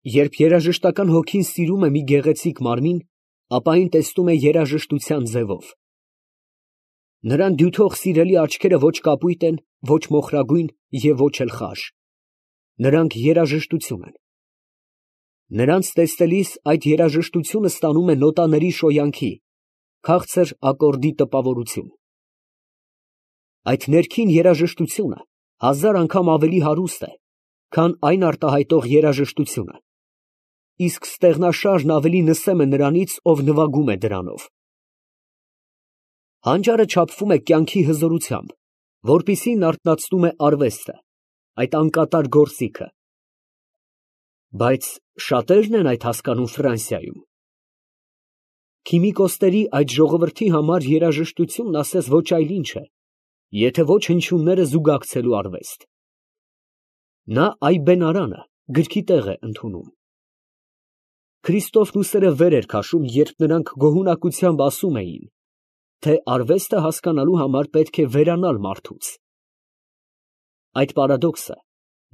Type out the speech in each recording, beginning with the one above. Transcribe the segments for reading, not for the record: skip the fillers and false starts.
Երբ երաժշտական հոգին սիրում է մի գեղեցիկ մարմին, ապա այն տեսնում է երաժշտության ձևով։ Նրան դյութող սիրելի աչքերը ոչ կապույտ են, ոչ մոխրագույն և ոչ էլ խաշ. նրանք երաժշտություն են։ Նրանց տեսնելիս այդ երաժշտությունը ստանում է նոտաների շոյանքի, քաղցր ակորդի տպավորություն։ Այդ ներքին երաժշտությունը հազար անգամ ավելի հարուստ է, քան այն արտահայտող երաժշտությունը, իսկ ստեղնաշարն ավելի նսեմ է նրանից, ով նվագում է դրանով։ Հանճարը չափվում է կյանքի հզորությամբ, որպիսին արթնացնում է արվեստը, այդ անկատար գործիքը։ Բայց շատերն են այդ հասկանում Ֆրանսիայում։ Քիմիկոսների այդ ժողովրդի համար երաժշտությունն ասես ոչ այլ ինչ է, եթե ոչ հնչյունները զուգակցելու արվեստ։ Նա այբենարանը գրքի տեղ է ընդունում։ Քրիստոֆն ուսերը վեր էր քաշում, երբ նրանք գոհունակությամբ ասում էին, թե արվեստը հասկանալու համար պետք է վերանալ մարդուց։ Այդ պարադոքսը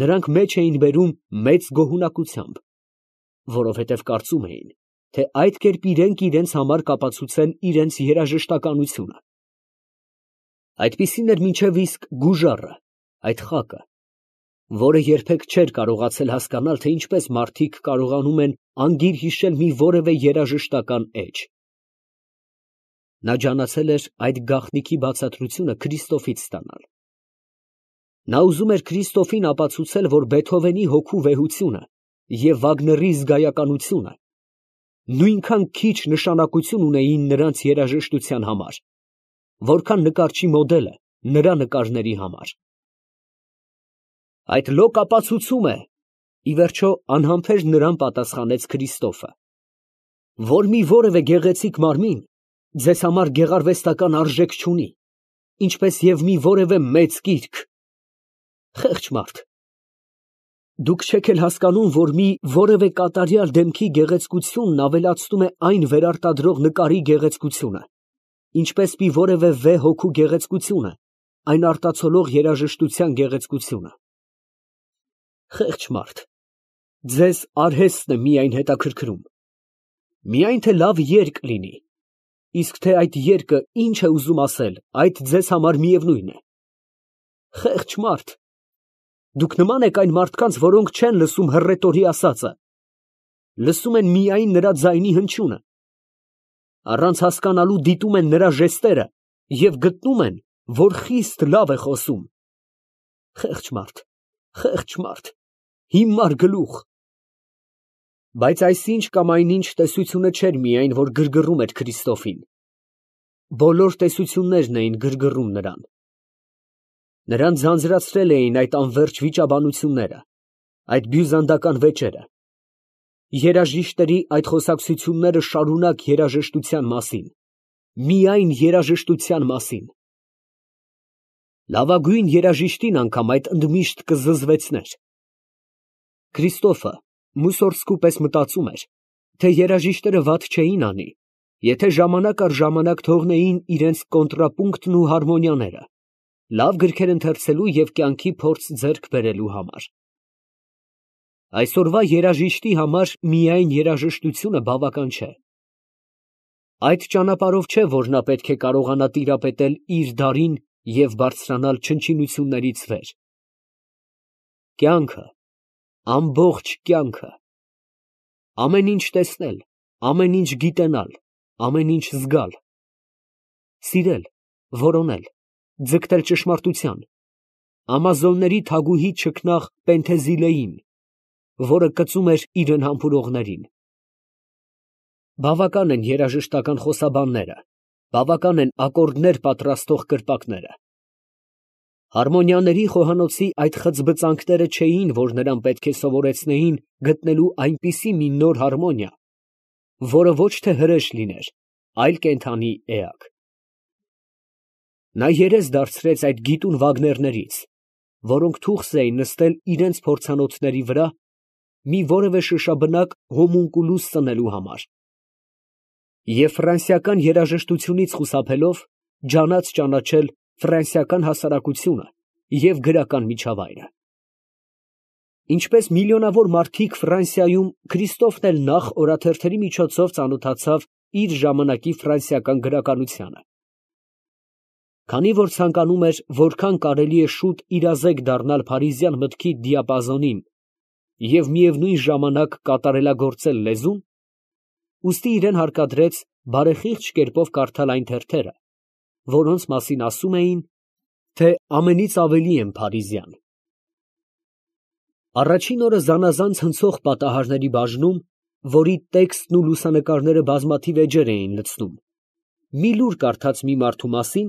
նրանք մեջ էին բերում մեծ գոհունակությամբ, որովհետև կարծում էին, թե այդ կերպ իրենք իրենց համար կապացուցեն իրենց երաժշտականությունը։ Այդպիսին էր մինչև իսկ Գուժարը, այդ խակը, որը երբեք չէր կարողացել հասկանալ, թե ինչպես մարդիկ կարողանում են անգիր հիշել մի որևէ երաժշտական էջ։ Նա ջանացել էր այդ գաղտնիքի բացատրությունը Քրիստոֆից ստանալ։ Նա ուզում էր Քրիստոֆին ապացուցել, որ Բեթհովենի հոգու վեհությունը և Վագների զգայականությունը նույնքան քիչ նշանակություն ունեին նրանց երաժշտության համար, որքան նկարչի մոդելը նրա նկարների համար։ Այդ լոկ ապացուցում է, ի վերջո անհամբեր նրան պատասխանեց Քրիստոֆը, որ մի որևէ գեղեցիկ մարմին ձեզ համար գեղարվեստական արժեք չունի, ինչպես և մի որևէ մեծ գիրք։ Խեղճ մարդ, դուք չեք էլ հասկանում, որ մի որևէ կատարյալ դեմքի գեղեցկությունն ավելացնում է այն վերարտադրող նկարի գեղեցկությունը, ինչպես մի որևէ վեհ հոգու գեղեցկությունը այն արտացոլող երաժշտության գեղեցկությունը։ Խեղճ մարդ, ձեզ արհեստն է միայն հետաքրքրում, միայն թե լավ երգ լինի, իսկ թե այդ երգը ինչ է ուզում ասել, այդ ձեզ համար միևնույն է։ Խեղճ մարդ, դուք նման եք այն մարդկանց, որոնք չեն լսում հռետորի ասածը, լսում են միայն նրա ձայնի հնչյունը, առանց հասկանալու դիտում են նրա ժեստերը և գտնում են, որ խիստ լավ է խոսում։ Խեղճ մարդ, հիմար գլուխ։ Բայց այսինչ կամ այնինչ տեսությունը չէր միայն, որ գրգռում էր Քրիստոֆին. բոլոր տեսություններն էին գրգռում նրան։ Նրան ձանձրացրել էին այդ անվերջ վիճաբանությունները, այդ բյուզանդական վեճերը, երաժիշտերի այդ խոսակցությունները շարունակ երաժշտության մասին, միայն երաժշտության մասին։ Լավագույն երաժիշտին անգամ այդ ընդմիշտ կզզվեցներ։ Քրիստոֆը Մուսորսկու պես մտածում էր, թե երաժիշտները վատ չէին անի, եթե ժամանակ առ ժամանակ թողնեին իրենց կոնտրապունկտն ու հարմոնիաները, լավ գրքեր ընթերցելու և կյանքի փորձ ձեռք բերելու համար։ Այսօրվա երաժիշտի համար միայն երաժշտությունը բավական չէ։ Այդ ճանապարհով չէ, որ նա պետք է կարողանա տիրապետել իր դարին և բարձրանալ չնչինություններից վեր։ Կյանքը, ամբողջ կյանքը, ամեն ինչ տեսնել, ամեն ինչ գիտենալ, ամեն ինչ զգալ, սիրել, որոնել, ձգտել ճշմարտության, ամազոնների թագուհի չքնաղ Պենթեզիլեին, որը կծում էր իրեն համբուրողներին։ Բավական են երաժշտական խոսաբանները, բավական են ակորդներ պատրաստող կրպակները։ Հարմոնիաների խոհանոցի այդ խծբծանքները չէին, որ նրան պետք է սովորեցնեին գտնելու այնպիսի մի նոր հարմոնիա, որը ոչ թե հրեշ լիներ, այլ կենդանի էակ։ Նա երես դարձրեց այդ գիտուն Վագներներից, որոնք թուխս էին նստել իրենց փորձանոթների վրա մի որևէ շշաբնակ հոմունկուլուս ծնելու համար, և ֆրանսիական երաժշտությունից խուսափելով ջանաց ճանաչել ֆրանսիական հասարակությունը և գրական միջավայրը։ Ինչպես միլիոնավոր մարդիկ Ֆրանսիայում, Քրիստոֆն էլ նախ օրաթերթերի միջոցով ծանոթացավ իր ժամանակի ֆրանսիական գրականությանը։ Քանի որ ցանկանում էր որքան կարելի է շուտ իրազեկ դառնալ փարիզյան մտքի դիապազոնին և միևնույն ժամանակ կատարելագործել լեզուն, ուստի իրեն հարկադրեց բարեխիղճ կերպով կարդալ այն թերթերը, որոնց մասին ասում էին, թե ամենից ավելի են փարիզյան։ Առաջին օրը զանազան ցնցող պատահարների բաժնում, որի տեքստն ու լուսանկարները բազմաթիվ էջեր էին լցնում, մի լուր կարդաց մի մարդու մասին,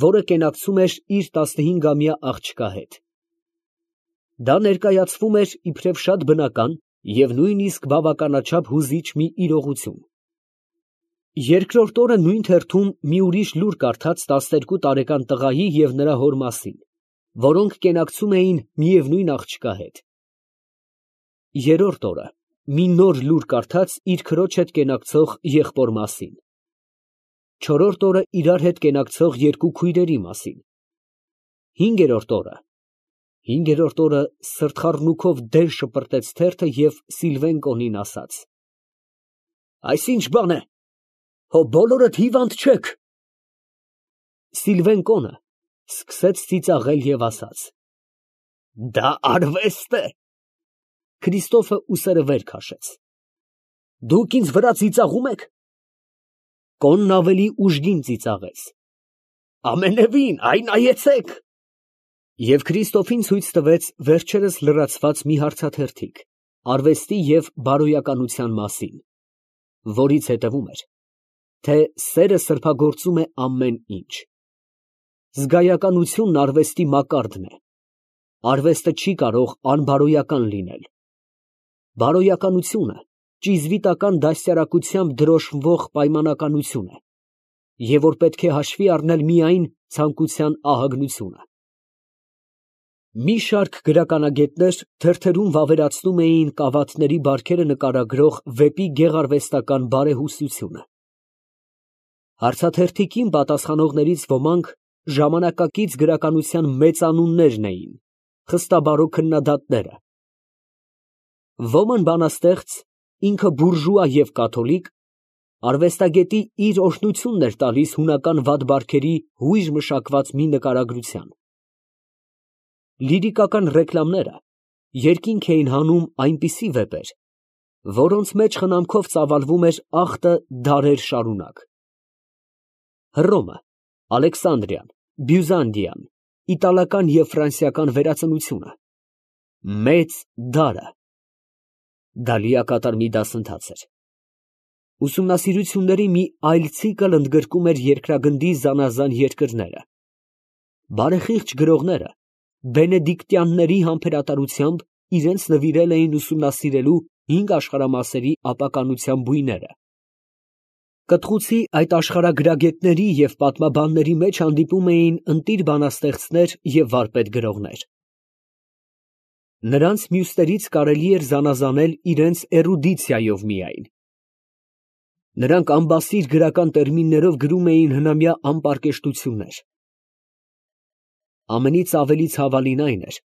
որը կենակցում էր իր 15-ամյա աղջկա հետ։ Դա ներկայացվում էր իբրև շատ բնական և նույնիսկ բավականաչափ հուզիչ մի իրողություն։ Երկրորդ օրը նույն թերթում մի ուրիշ լուր կարդաց 12 տարեկան տղայի և նրա հոր մասին, որոնք կենակցում էին միևնույն աղջկա հետ։ Երրորդ օրը մի նոր լուր կարդաց իր քրոջ հետ կենակցող եղբոր մասին։ Չորրորդ օրը իրար հետ կենակցող երկու քույրերի մասին։ Հինգերորդ օրը սրտխառնուքով դեն շպրտեց թերթը և Սիլվեն կոնին ասաց. «Այս ի՞նչ բան է, հո բոլորդ հիվանդ չեք»։ Սիլվեն կոնը սկսեց ծիծաղել և ասաց. «Դա արվեստ է»։ Քրիստոֆը ուսերը վեր քաշեց։ «Դուք ինձ վրա ծիծաղում եք»։ Կոնն ավելի ուժգին ծիծաղեց։ «Ամենևին, այ նայեցեք»։ Եվ Քրիստոֆին ցույց տվեց վերջերս լրացված մի հարցաթերթիկ արվեստի և բարոյականության մասին, որից հետևում էր, թե սերը սրբագործում է ամեն ինչ։ Զգայականությունն արվեստի մակարդն է։ Արվեստը չի կարող անբարոյական լինել։ Բարոյականությունը ճիզվիտական դաստիարակությամբ դրոշմվող պայմանականություն է, և որ պետք է հաշվի առնել միայն ցանկության ահագնությունը։ Մի շարք գրականագետներ թերթերում վավերացնում էին կավաթների բարքերը նկարագրող վեպի գեղարվեստական բարեհուսությունը։ Հարցաթերթիկին պատասխանողներից ոմանք ժամանակակից գրականության մեծանուններն էին, խստաբարո քննադատները։ Ոմն բանաստեղծ, ինքը բուրժուա և կաթոլիկ, արվեստագետի իր օրհնությունն էր տալիս հունական վատ բարքերի հույժ մշակված մի նկարագրության։ Լիրիկական ռեկլամները երկինք էին հանում այնպիսի վեպեր, որոնց մեջ խնամքով ծավալվում էր ախտը դարեր շարունակ։ Հռոմը, Ալեքսանդրիան, Բյուզանդիան, իտալական և ֆրանսիական վերածնությունը, մեծ դարը։ Դա լիակատար մի դասընթաց էր։ Ուսումնասիրությունների մի այլ ցիկլ ընդգրկում էր երկրագնդի զանազան երկրները։ Բարեխիղճ գրողները բենեդիկտյանների համբերատարությամբ իրենց նվիրել էին ուսումնասիրելու 5 աշխարհամասերի ապականության բույները։ Կտղուցի այդ աշխարհագրագետների և պատմաբանների մեջ հանդիպում էին ընտիր բանաստեղծներ և վարպետ գրողներ։ Նրանց մյուսներից կարելի էր զանազանել իրենց էրուդիցիայով միայն։ Նրանք ամբասիր գրական տերմիններով գրում էին հնամյա անպարկեշտություններ։ Ամենից ավելի ցավալին այն էր,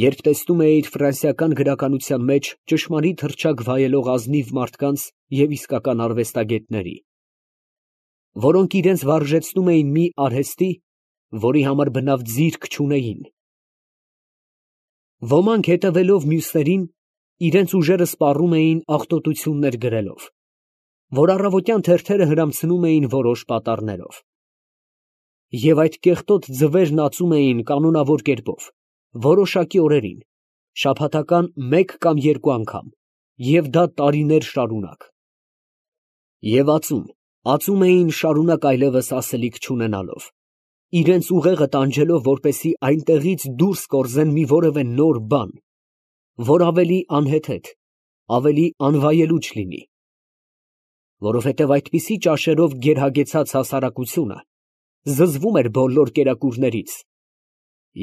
երբ տեսնում էիր ֆրանսիական գրականության մեջ ճշմարիտ հռչակ վայելող ազնիվ մարդկանց և իսկական արվեստագետների, որոնք իրենց վարժեցնում էին մի արհեստի, որի համար բնավ ձիրք չունեին։ Ոմանք հետևելով մյուսներին, իրենց ուժերը սպառում էին աղտոտություններ գրելով, որ առավոտյան թերթերը հրամցնում էին որոշ պատառներով։ Եվ այդ կեղտոտ ձվերն ածում էին կանոնավոր կերպով, որոշակի օրերին, շաբաթական 1 կամ 2 անգամ, և դա տարիներ շարունակ։ Եվ ածում էին շարունակ այլևս ասելիք չունենալով, իրենց ուղեղը տանջելով, որպեսզի այնտեղից դուրս կորզեն մի որևէ նոր բան, որ ավելի անհեթեթ, ավելի անվայելուչ լինի։ Որովհետև այդպիսի ճաշերով գերհագեցած հասարակությունը զզվում էր բոլոր կերակուրներից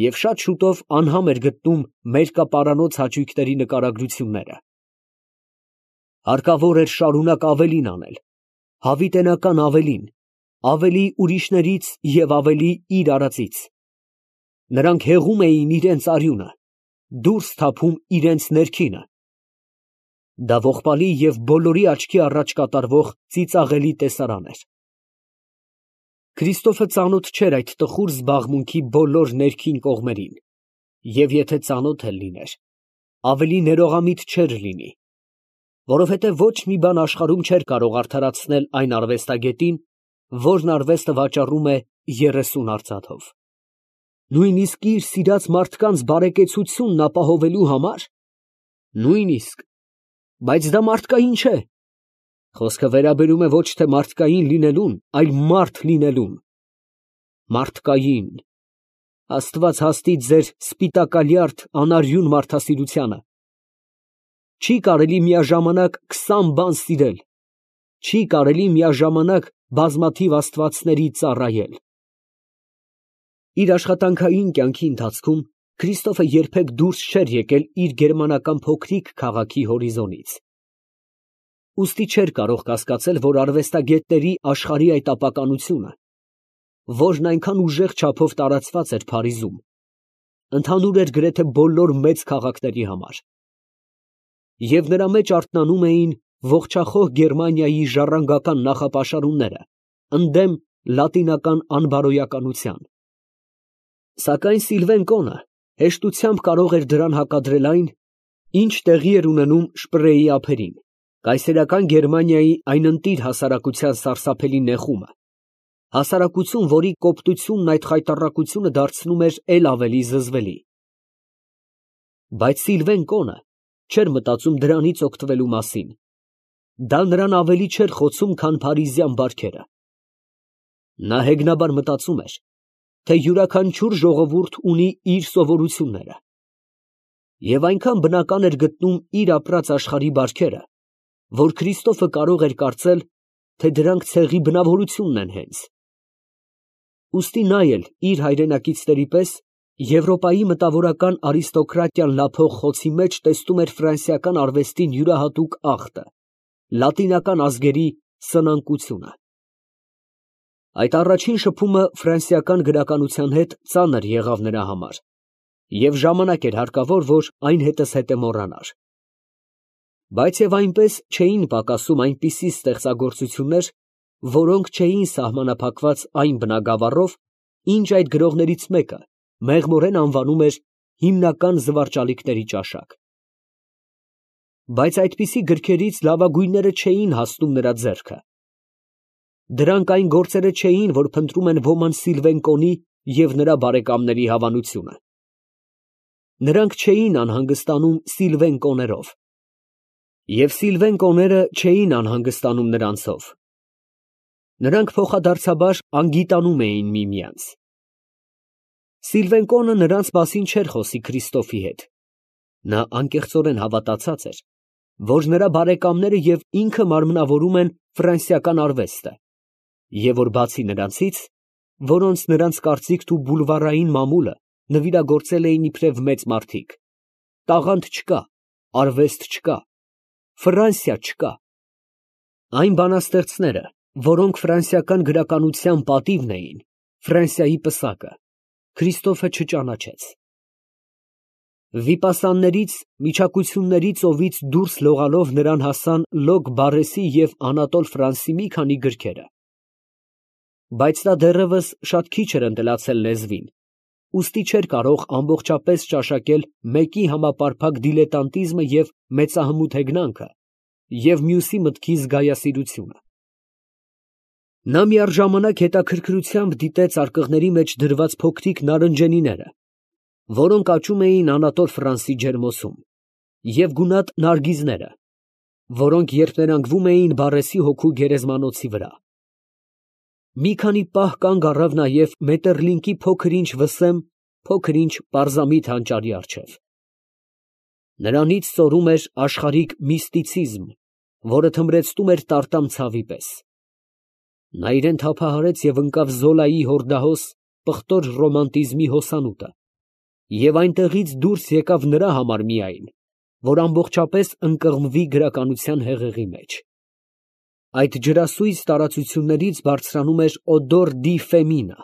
և շատ շուտով անհամ էր գտնում մերկապարանոց հաճույքների նկարագրությունները։ Հարկավոր էր շարունակ ավելին անել, հավիտենական ավելին, ավելի ուրիշներից և ավելի իր արածից։ Նրանք հեղում էին իրենց արյունը, դուրս թափում իրենց ներքինը։ Դա ողբալի և բոլորի աչքի առաջ կատարվող ծիծաղելի տեսարան էր։ Քրիստոֆը ծանոթ չէր այդ տխուր զբաղմունքի բոլոր ներքին կողմերին, և եթե ծանոթ էլ լիներ, ավելի ներողամիտ չէր լինի, որովհետև ոչ մի բան աշխարհում չէր կարող արդարացնել այն արվեստագետին, որն արվեստը վաճառում է 30 արծաթով։ Նույնիսկ իր սիրած մարդկանց բարեկեցությունն ապահովելու համար։ Նույնիսկ, բայց դա մարդկային չէ։ Խոսքը վերաբերում է ոչ թե մարդկային լինելուն, այլ մարդ լինելուն։ Մարդկային։ Աստված հաստի ձեր սպիտակալյարդ անարյուն մարդասիրությանը։ Չի կարելի միաժամանակ 20 բան սիրել, չի կարելի միաժամանակ բազմաթիվ աստվածների ծառայել։ Իր աշխատանքային կյանքի ընթացքում Քրիստոֆը երբեք դուրս չէր եկել իր գերմանական փոքրիկ քաղաքի հորիզոնից։ Ուստի չէր կարող կասկածել, որ արվեստագետների աշխարհի այդ ապականությունը, որն այնքան ուժեղ չափով տարածված էր Փարիզում, ընդհանուր էր գրեթե բոլոր մեծ քաղաքների համար։ Եվ նրա մեջ արթնանում էին ողջախոհ Գերմանիայի ժառանգական նախապաշարումները ընդդեմ լատինական անբարոյականության։ Սակայն Սիլվեն Կոնը հեշտությամբ կարող էր դրան հակադրել այն, ինչ տեղի էր ունենում Շպրեի ափերին, կայսերական Գերմանիայի այն ընտիր հասարակության սարսափելի նեխումը, հասարակություն, որի կոպտությունն այդ խայտառակությունը դարձնում էր էլ ավելի զզվելի։ Բայց Սիլվեն Կոնը չէր մտածում դրանից օգտվելու մասին, դա նրան ավելի չէր խոցում, քան փարիզյան բարքերը։ Նա հեգնաբար մտածում էր, թե յուրաքանչյուր ժողովուրդ ունի իր սովորությունները, և այնքան բնական էր գտնում իր ապրած աշխարհի բարքերը, որ Քրիստոֆը կարող էր կարծել, թե դրանք ցեղի բնավորությունն են հենց։ Ուստի նա էլ իր հայրենակիցների պես Եվրոպայի մտավորական արիստոկրատիան լափող խոցի մեջ տեսնում էր ֆրանսիական արվեստին յուրահատուկ ախտը, լատինական ազգերի սնանկությունը։ Այդ առաջին շփումը ֆրանսիական գրականության հետ ծանր եղավ նրա համար, և ժամանակ էր հարկավոր, որ այն հետզհետե մոռանար։ Բայց և այնպես չէին պակասում այնպիսի ստեղծագործություններ, որոնք չէին սահմանափակված այն բնագավառով, ինչ այդ գրողներից մեկը մեղմորեն անվանում էր հիմնական զվարճալիքների ճաշակ։ Բայց այդպիսի գրքերից լավագույնները չէին հասնում նրա ձեռքը։ Դրանք այն գործերը չէին, որ փնտրում են ոմանց Սիլվեն Կոնի և նրա բարեկամների հավանությունը։ Նրանք չէին անհանգստանում Սիլվեն Կոներով, և Սիլվեն Կոները չէին անհանգստանում նրանցով։ Նրանք փոխադարձաբար անգիտանում էին միմյանց։ Սիլվեն Կոնը նրանց մասին չէր խոսի Քրիստոֆի հետ։ Նա անկեղծորեն հավատացած էր, որ նրա բարեկամները և ինքը մարմնավորում են ֆրանսիական արվեստը, և որ բացի նրանցից, որոնց նրանց կարծիքն ու բուլվարային մամուլը նվիրագործել էին իբրև մեծ մարդիկ, տաղանդ չկա, արվեստ չկա, Ֆրանսիա չկա։ Այն բանաստեղծները, որոնք ֆրանսիական գրականության պատիվն էին, Ֆրանսիայի պսակը, Քրիստոֆը չճանաչեց։ Վիպասաններից, միջակությունների ծովից դուրս լողալով նրան հասան Լոկ Բարեսի և Անատոլ Ֆրանսի մի քանի գրքերը։ Բայց նա դեռևս շատ քիչ էր ընտելացել լեզվին, ուստի չէր կարող ամբողջապես ճաշակել մեկի համապարփակ դիլետանտիզմը և մեծահմուտ հեգնանքը և մյուսի մտքի զգայասիրությունը։ Նա միառժամանակ հետաքրքրությամբ դիտեց արկղների մեջ դրված փոքրիկ նարնջենիները, որոնք աճում էին Անատոլ Ֆրանսի ջերմոցում, և գունատ նարգիզները, որոնք երփներանգվում էին Բարեսի հոգու գերեզմանոցի վրա։ Մի քանի պահ կանգ առավ նաև Մետերլինկի փոքր-ինչ վսեմ, փոքր-ինչ պարզամիտ հանճարի առջև։ Նրանից ծորում էր աշխարհիկ միստիցիզմ, որը թմրեցնում էր տարտամ ցավի պես։ Նա իրան թափահարեց և ընկավ Զոլայի հորդահոս պղտոր ռոմանտիզմի հոսանուտը, և այնտեղից դուրս եկավ նրա համար միայն, որ ամբողջապես ընկղմվի գրականության հեղեղի մեջ։ Այդ ջրասույզ տարածություններից բարձրանում էր օդոր դի ֆեմինա,